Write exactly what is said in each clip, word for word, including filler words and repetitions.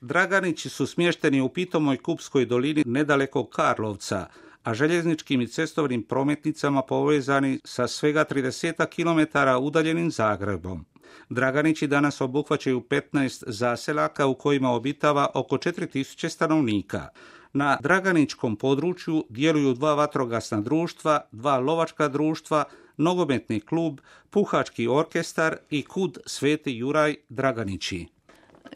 Draganići su smješteni u pitomoj Kupskoj dolini nedaleko Karlovca, a željezničkim i cestovnim prometnicama povezani sa svega trideset kilometara udaljenim Zagrebom. Draganići danas obuhvaćaju petnaest zaselaka u kojima obitava oko četiri tisuće stanovnika. Na Draganičkom području djeluju dva vatrogasna društva, dva lovačka društva, nogometni klub, puhački orkestar i kud Sveti Juraj Draganići.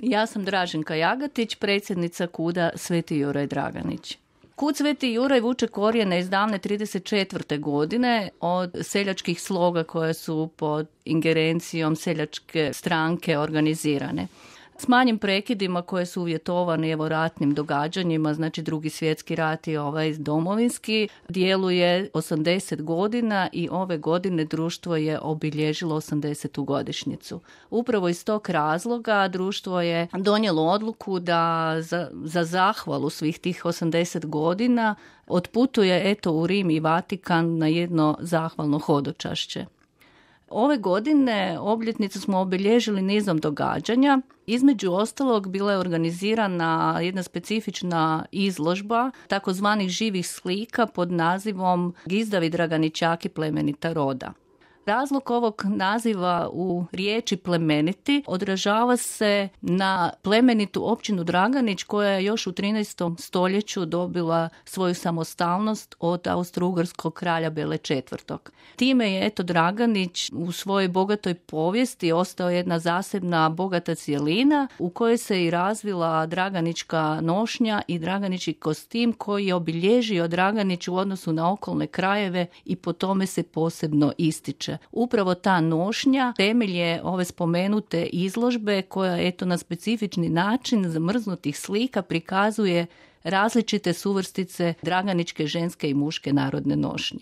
Ja sam Draženka Jagatić, predsjednica kuda Sveti Juraj Draganić. Kud Sveti Juraj vuče korijene iz davne trideset četvrte godine od seljačkih sloga koje su pod ingerencijom seljačke stranke organizirane. S manjim prekidima koje su uvjetovani evo ratnim događanjima, znači Drugi svjetski rat i ovaj domovinski, djeluje osamdeset godina i ove godine društvo je obilježilo osamdesetu godišnjicu. Upravo iz tog razloga društvo je donijelo odluku da za, za zahvalu svih tih osamdeset godina otputuje eto u Rim i Vatikan na jedno zahvalno hodočašće. Ove godine obljetnicu smo obilježili nizom događanja. Između ostalog bila je organizirana jedna specifična izložba takozvanih živih slika pod nazivom Gizdavi Draganičaki plemenita roda. Razlog ovog naziva u riječi plemeniti odražava se na plemenitu općinu Draganić koja je još u trinaestom stoljeću dobila svoju samostalnost od austro-ugarskog kralja Bele četvrtog. Time je eto Draganić u svojoj bogatoj povijesti ostao jedna zasebna bogata cjelina u kojoj se i razvila draganička nošnja i draganički kostim koji je obilježio Draganić u odnosu na okolne krajeve i po tome se posebno ističe. Upravo ta nošnja temelj je ove spomenute izložbe koja eto na specifični način zamrznutih slika prikazuje različite suvrstice draganičke ženske i muške narodne nošnje.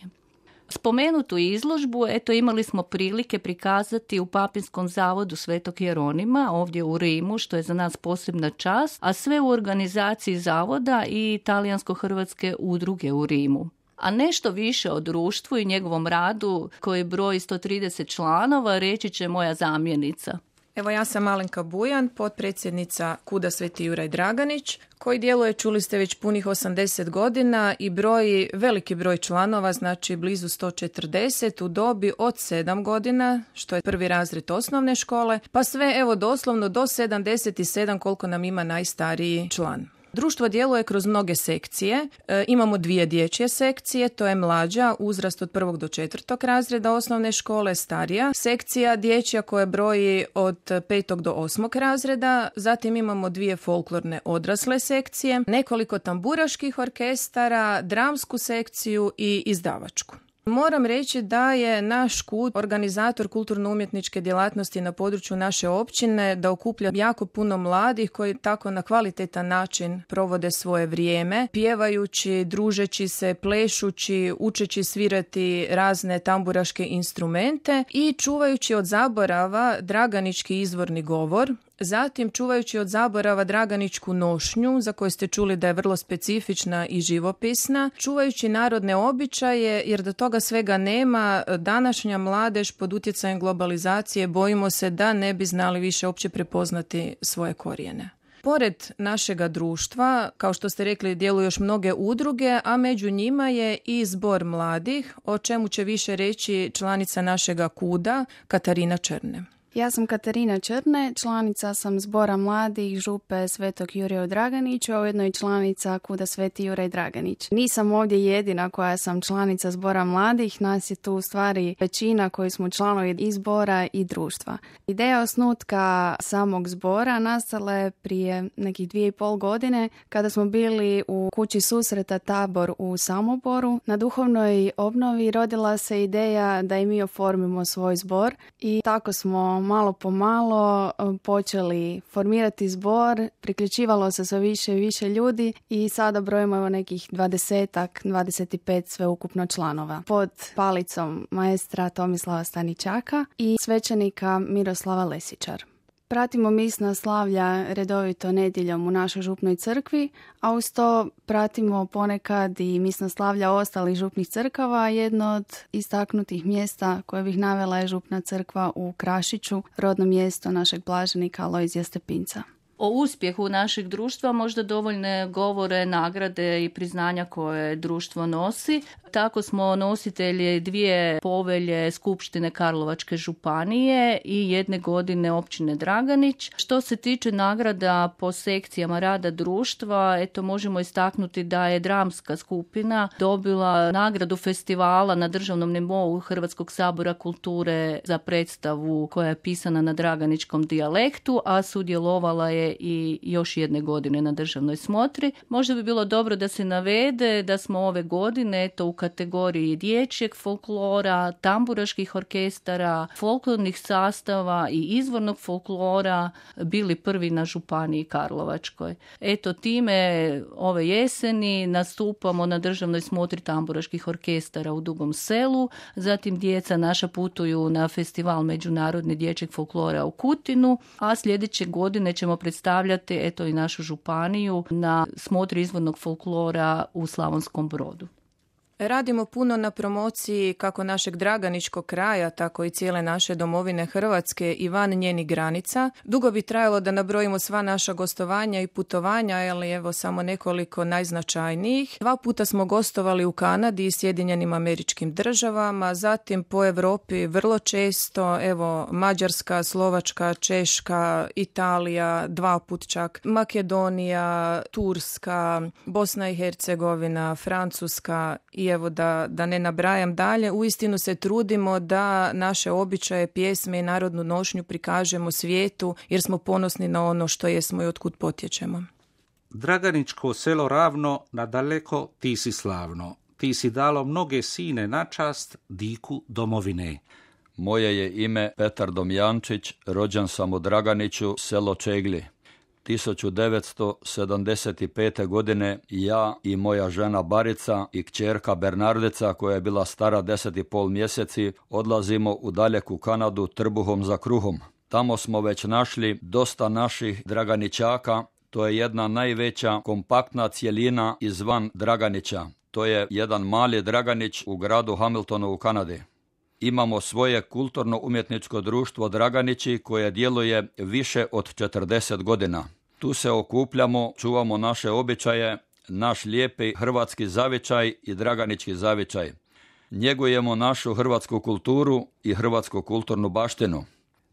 Spomenutu izložbu eto imali smo prilike prikazati u Papinskom zavodu Svetog Jeronima ovdje u Rimu, što je za nas posebna čast, a sve u organizaciji zavoda i talijansko-hrvatske udruge u Rimu. A nešto više o društvu i njegovom radu koji broji sto trideset članova reći će moja zamjenica. Evo ja sam Alenka Bujan, potpredsjednica kuda Sveti Juraj Draganić, koji djeluje, čuli ste, već punih osamdeset godina i broji veliki broj članova, znači blizu sto četrdeset u dobi od sedam godina, što je prvi razred osnovne škole, pa sve evo doslovno do sedamdeset sedam koliko nam ima najstariji član. Društvo djeluje kroz mnoge sekcije. E, imamo dvije dječje sekcije, to je mlađa, uzrast od prvog do četvrtog razreda osnovne škole, starija sekcija dječja koja broji od petog do osmog razreda. Zatim imamo dvije folklorne odrasle sekcije, nekoliko tamburaških orkestara, dramsku sekciju i izdavačku. Moram reći da je naš kud organizator kulturno-umjetničke djelatnosti na području naše općine, da okuplja jako puno mladih koji tako na kvalitetan način provode svoje vrijeme, pjevajući, družeći se, plešući, učeći svirati razne tamburaške instrumente i čuvajući od zaborava draganički izvorni govor. Zatim čuvajući od zaborava draganičku nošnju, za koju ste čuli da je vrlo specifična i živopisna, čuvajući narodne običaje, jer da toga svega nema, današnja mladež pod utjecajem globalizacije bojimo se da ne bi znali više uopće prepoznati svoje korijene. Pored našega društva, kao što ste rekli, djeluju još mnoge udruge, a među njima je i zbor mladih, o čemu će više reći članica našega kuda, Katarina Črne. Ja sam Katarina Črne, članica sam zbora mladih župe Svetog Juraja Draganića, a ujedno i članica kuda Sveti Juraj Draganić. Nisam ovdje jedina koja sam članica zbora mladih, nas je tu u stvari većina koji smo članovi i zbora i društva. Ideja osnutka samog zbora nastala je prije nekih dvije i pol godine kada smo bili u kući susreta Tabor u Samoboru. Na duhovnoj obnovi rodila se ideja da i mi oformimo svoj zbor i tako smo malo po malo počeli formirati zbor, priključivalo se sve više i više ljudi i sada brojimo evo nekih dvadesetak, dvadeset pet sveukupno članova. Pod palicom maestra Tomislava Staničaka i svećenika Miroslava Lesičar. Pratimo misna slavlja redovito nedjeljom u našoj župnoj crkvi, a uz to pratimo ponekad i misna slavlja ostalih župnih crkava. Jedno od istaknutih mjesta koje bih navela je župna crkva u Krašiću, rodno mjesto našeg blaženika Alojzija Stepinca. O uspjehu našeg društva možda dovoljne govore nagrade i priznanja koje društvo nosi. Tako smo nositelji dvije povelje Skupštine Karlovačke županije i jedne godine općine Draganić. Što se tiče nagrada po sekcijama rada društva, eto možemo istaknuti da je dramska skupina dobila nagradu festivala na državnom nivou Hrvatskog sabora kulture za predstavu koja je pisana na draganičkom dijalektu, a sudjelovala je i još jedne godine na državnoj smotri. Možda bi bilo dobro da se navede da smo ove godine eto, u kategoriji dječjeg folklora, tamburaških orkestara, folklornih sastava i izvornog folklora bili prvi na županiji Karlovačkoj. Eto time ove jeseni nastupamo na državnoj smotri tamburaških orkestara u Dugom Selu, zatim djeca naša putuju na festival međunarodni dječjeg folklora u Kutinu, a sljedeće godine ćemo predstavljati eto i našu županiju na smotri izvornog folklora u Slavonskom Brodu. Radimo puno na promociji kako našeg draganičkog kraja, tako i cijele naše domovine Hrvatske i van njenih granica. Dugo bi trajalo da nabrojimo sva naša gostovanja i putovanja, ali evo samo nekoliko najznačajnijih. Dva puta smo gostovali u Kanadi i Sjedinjenim Američkim Državama, zatim po Europi vrlo često, evo Mađarska, Slovačka, Češka, Italija, dva put čak, Makedonija, Turska, Bosna i Hercegovina, Francuska i evo da, da ne nabrajam dalje, uistinu se trudimo da naše običaje, pjesme i narodnu nošnju prikažemo svijetu jer smo ponosni na ono što jesmo i otkud potječemo. Draganičko selo ravno, nadaleko ti si slavno. Ti si dalo mnoge sine na čast diku domovine. Moje je ime Petar Domjančić, rođen sam u Draganiću, selo Čegli. tisuću devetsto sedamdeset pete. godine ja i moja žena Barica i kćerka Bernardica, koja je bila stara deset i pol mjeseci, odlazimo u daleku Kanadu trbuhom za kruhom. Tamo smo već našli dosta naših Draganićaka. To je jedna najveća kompaktna cjelina izvan Draganića. To je jedan mali Draganić u gradu Hamiltonu u Kanadi. Imamo svoje kulturno-umjetničko društvo Draganići koje djeluje više od četrdeset godina. Tu se okupljamo, čuvamo naše običaje, naš lijepi hrvatski zavičaj i draganički zavičaj. Njegujemo našu hrvatsku kulturu i hrvatsku kulturnu baštinu.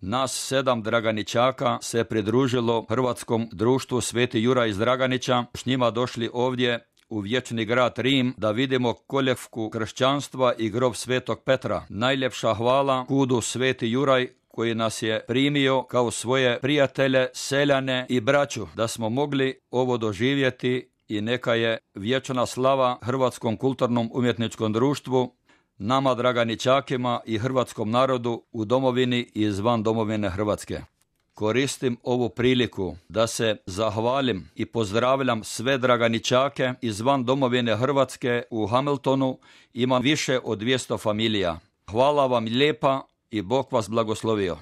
Nas sedam Draganićaka se pridružilo Hrvatskom društvu Sveti Juraj iz Draganića, s njima došli ovdje u vječni grad Rim da vidimo koljevku kršćanstva i grob Svetog Petra. Najljepša hvala kudu Sveti Juraj koji nas je primio kao svoje prijatelje, seljane i braću, da smo mogli ovo doživjeti i neka je vječna slava Hrvatskom kulturnom umjetničkom društvu, nama Draganićakima i hrvatskom narodu u domovini i izvan domovine Hrvatske. Koristim ovu priliku da se zahvalim i pozdravljam sve Draganićake izvan domovine Hrvatske u Hamiltonu. Ima više od dvjesto familija. Hvala vam lijepa i Bog vas blagoslovio.